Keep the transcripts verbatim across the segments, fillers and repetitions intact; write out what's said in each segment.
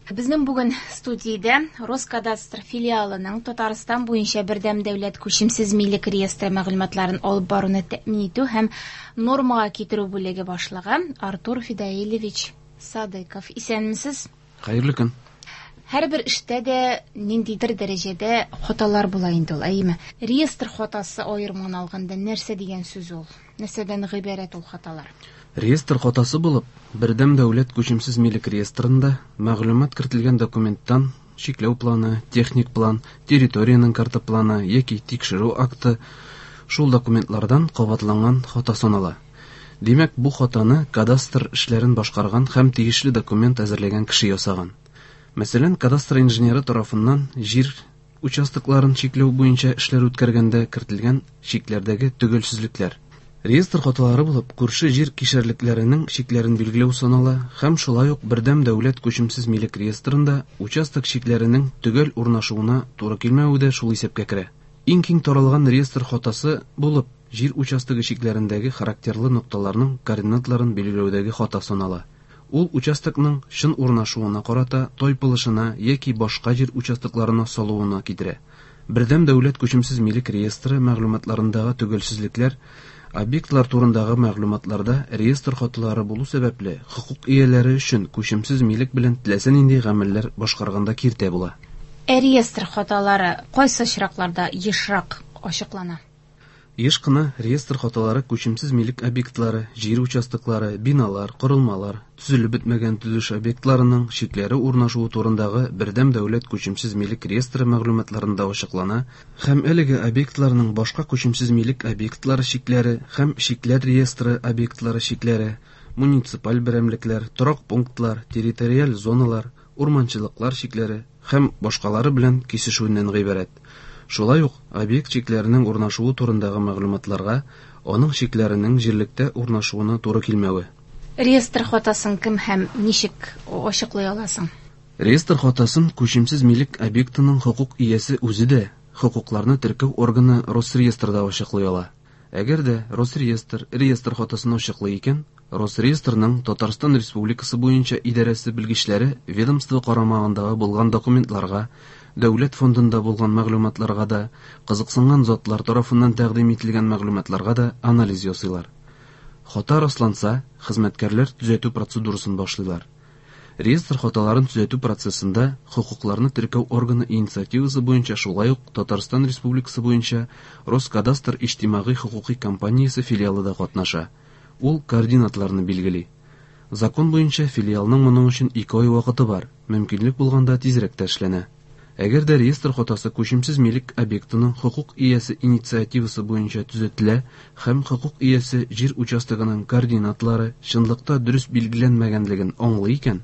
Безнең бүген студиядә Роскадастр филиалының Татарстан буенча бердәм дәүләт күчемсез милек реестры мәгълүматларын алып баруны тәэмин итү һәм нормага китерү бүлеге башлыгы Артур Фидаилевич Садыков. Исәнмесез? Хәерле көн. Һәрбер эштә дә ниндидер дәрәҗәдә хаталар була инде ул, әйеме? Реестр хатасы аерымын алганда нәрсә дигән сүз ул? Нәрсәдән гыйбарәт ул хаталар? Реестр хатасы булып, бердәм дәүләт күчемсез милек реестрында мәгълүмат кертелгән документтан чикләү планы, техник план, территориянең карта планы яки тикшерү акты шул документлардан кабатланган хата санала. Димәк, бу хатаны кадастр эшләрен башкарган һәм тиешле документ әзерләгән кеше ясаган. Мәсәлән, кадастр инженеры тарафыннан җир участокларын чикләү буенча эшләр үткәргәндә кертелгән чикләрдәге төгәлсезлекләр. Реестр хаталары булып, күрше җир кишәрлекләренең чикләрен билгеләү санала һәм шулай ук бердәм дәүләт күчемсез милек реестрында участок чикләренең төгәл урнашуына туры килмәве дә шул исәпкә керә. Иң киң таралган реестр хатасы булып, җир участогы чикләрендәге характерлы нокталарның координатларын билгеләүдәге хата санала. Ул участокның чын урнашуына карата тайпылышына яки башка җир участокларына салуына китерә. Бердәм дәүләт күчемсез милек реестры мәгълүматларындагы төгәлсезлекләр объектлар турындагы мәгълүматларда реестр хаталары булу сәбәпле хокук ияләре өчен күчемсез милек белән теләсә нинди гамәлләр башкарганда киртә була. Ә реестр хаталары кайсы очракларда ешрак ачыклана? Еш кына реестр хаталары күчемсез милек объектлары, җир участоклары, биналар, корылмалар, төзелеп бетмәгән төзелеш объектларының чикләре урнашуы турындагы бердәм дәүләт күчемсез милек реестры мәгълүматларында ачыклана һәм әлеге объектларның башка күчемсез милек объектлары чикләре һәм чикләр реестры объектлары чикләре, муниципаль берәмлекләр, торак пунктлар, территориаль зоналар, урманчылыклар чикләре һәм башкалары белән кисешүеннән гыйбарәт. Шулай ук объект чикләренең урнашуы турындагы мәгълүматларга аның чикләренең җирлектә урнашуына туры килмәве. Реестр хатасын кем һәм ничек ачыклый аласың? Реестр хатасын күчемсез милек объектының хокук иясе үзе дә, хокукларны теркәү органы Росреестрда ачыклый ала. Әгәр дә Росреестр реестр хатасын ачыклый икән, Росреестрның Татарстан Республикасы буенча идарәсе белгечләре ведомство карамагындагы булган документларга, дәүләт фондында булган мәгълүматларга да, кызыксынган затлар тарафыннан тәкъдим ителгән мәгълүматларга да анализ ясыйлар. Хата расланса, хезмәткәрләр төзәтү процедурасын башлыйлар. Реестр хаталарын төзәтү процессында хокукларны теркәү органы инициативасы буенча шулай ук Татарстан Республикасы буенча Роскадастр иҗтимагый хокукый компаниясе филиалы да катнаша. Ул координатларны билгели. Закон буенча филиалның моның өчен ике ай вакыты бар, мөмкинлек булганда тизрәк тә эшләнә. Әгәр дә реестр хатасы күчемсез милек объектының хокук иясе инициативасы буенча төзәтелә һәм хокук иясе җир участогының координатлары чынлыкта дөрес билгеләнмәгәнлеген аңлый икән,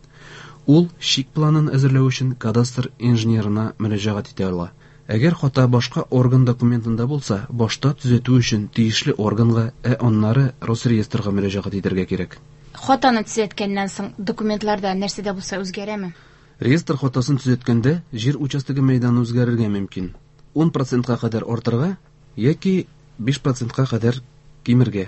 ул чик планын әзерләү өчен кадастр инженерына мөрәҗәгать итә ала. Әгәр хата башка орган документында булса, башта төзәтү өчен тиешле органга, ә аннары Росреестрга мөрәҗәгать итәргә кирәк. Хатаны төзәткәннән соң документларда нәрсә дә булса үзгәрәме? Реестр хатасын төзәткәндә җир участогы мәйданы үзгәрергә мөмкин. ун процентка кадәр артырга яки биш процентка кадәр кимергә.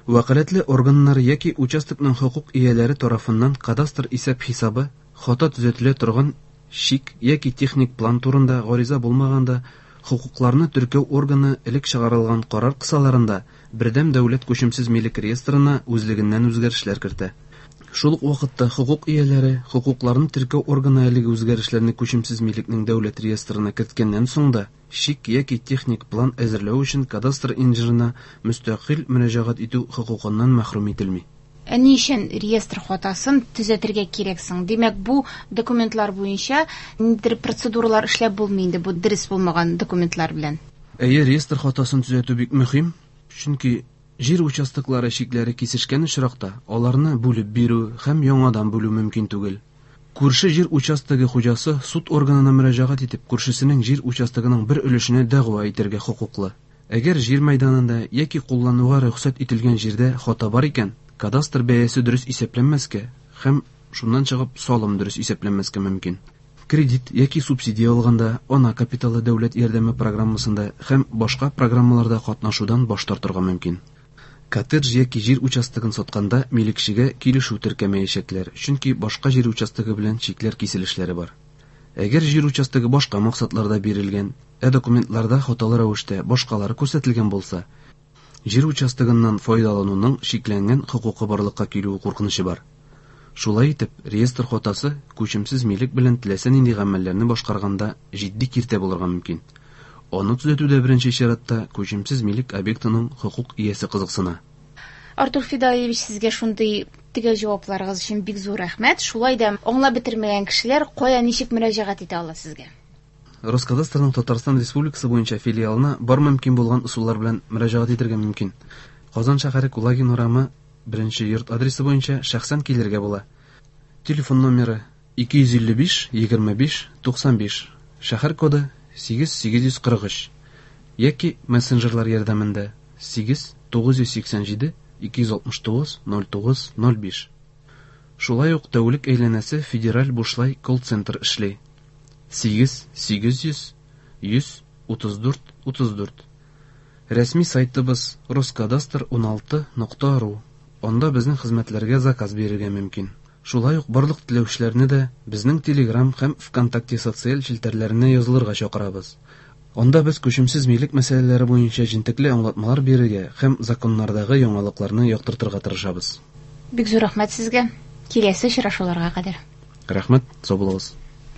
Вәкаләтле органнар яки участокның хокук ияләре тарафыннан кадастр исәп-хисабы хата төзәтелә торган чик яки техник план турында гариза булмаганда хокукларны теркәү органы элек чыгарылган карар кысаларында бердәм дәүләт күчемсез милек реестрына үзлегеннән үзгәрешләр кертә. Шул ук вакытта хокук ияләре хокукларны теркәү органы әлеге үзгәрешләрне күчемсез милекнең дәүләт реестрына керткәннән соң да чик яки техник план әзерләү өчен кадастр инженерына мөстәкыйль мөрәҗәгать итү хокукыннан мәхрүм ителми. Ә ни өчен реестр хатасын төзәтергә кирәк соң? Димәк, бу документлар буенча ниндидер процедуралар эшләп булмый инде бу дөрес булмаган документлар белән. Әйе, реестр хатасын төзәтү бик мөһим, чөнки җир участоклары чикләре кисешкән очракта аларны бүлеп бирү һәм яңадан бүлү мөмкин түгел. Күрше җир участогы хуҗасы суд органына мөрәҗәгать итеп, күршесенең җир участогының бер өлешенә дәгъва итәргә хокуклы. Әгәр җир мәйданында яки куллануга рөхсәт ителгән җирдә хата бар икән, кадастр бәясе дөрес исәпләнмәскә һәм шуннан чыгып салым дөрес исәпләнмәскә мөмкин. Кредит яки субсидия алганда, ана капиталы дәүләт ярдәме программасында һәм башка программаларда катнашудан баш тартырга мөмкин. Коттедж яки җир участогын сатканда милекчегә килешү теркәмәячәкләр, чөнки башка җир участогы белән чикләр киселешләре бар. Әгәр җир участогы башка максатларда бирелгән, ә документларда хаталы рәвештә башкалары күрсәтелгән булса, җир участогыннан файдалануның чикләнгән хокукы барлыкка килүе куркынычы бар. Шулай итеп, реестр хатасы күчемсез милек белән теләсә нинди гамәлләрне башкарганда җитди киртә булырга мөмкин. Аны төзәтүдә беренче чиратта күчемсез милек объектының хокук иясе кызыксына. Артур Фидаилевич, сезгә шундый төгәл җавапларыгыз өчен бик зур рәхмәт. Шулай да аңлап бетермәгән кешеләр кая ничек мөрәҗәгать итә ала сезгә? Роскадастрның Татарстан Республикасы буенча филиалына бар мөмкин булган ысуллар белән мөрәҗәгать итәргә мөмкин. Казан шәһәре Кулагин урамы беренче йорт адресы буенча шәхсән килергә була. Телефон номеры ике йөз илле биш егерме биш туксан биш, шәһәр коды сигез сигез йөз кырык өч яки мессенджерлар ярдәмендә сигез тугыз йөз сиксән җиде ике йөз алтмыш тугыз ноль тугыз ноль биш. Шулай ук тәүлек әйләнәсе федераль бушлай колл-центр эшли. Сигез сигез йөз йөз утыз дүрт утыз дүрт. Рәсми сайтыбыз роскадастр уналты нокта ру. Анда безнең хезмәтләргә заказ бирергә мөмкин. Шулай ук барлык теләүчеләрне дә безнең Telegram һәм ВКонтакте социаль челтәрләренә язылырга чакырабыз. Анда без күчемсез милек мәсьәләләре буенча җентекле аңлатмалар бирергә һәм законнардагы яңалыкларны яктыртырга тырышабыз. Бик зур рәхмәт сезгә. Киләсе очрашуларга кадәр. Рәхмәт, сау булыгыз.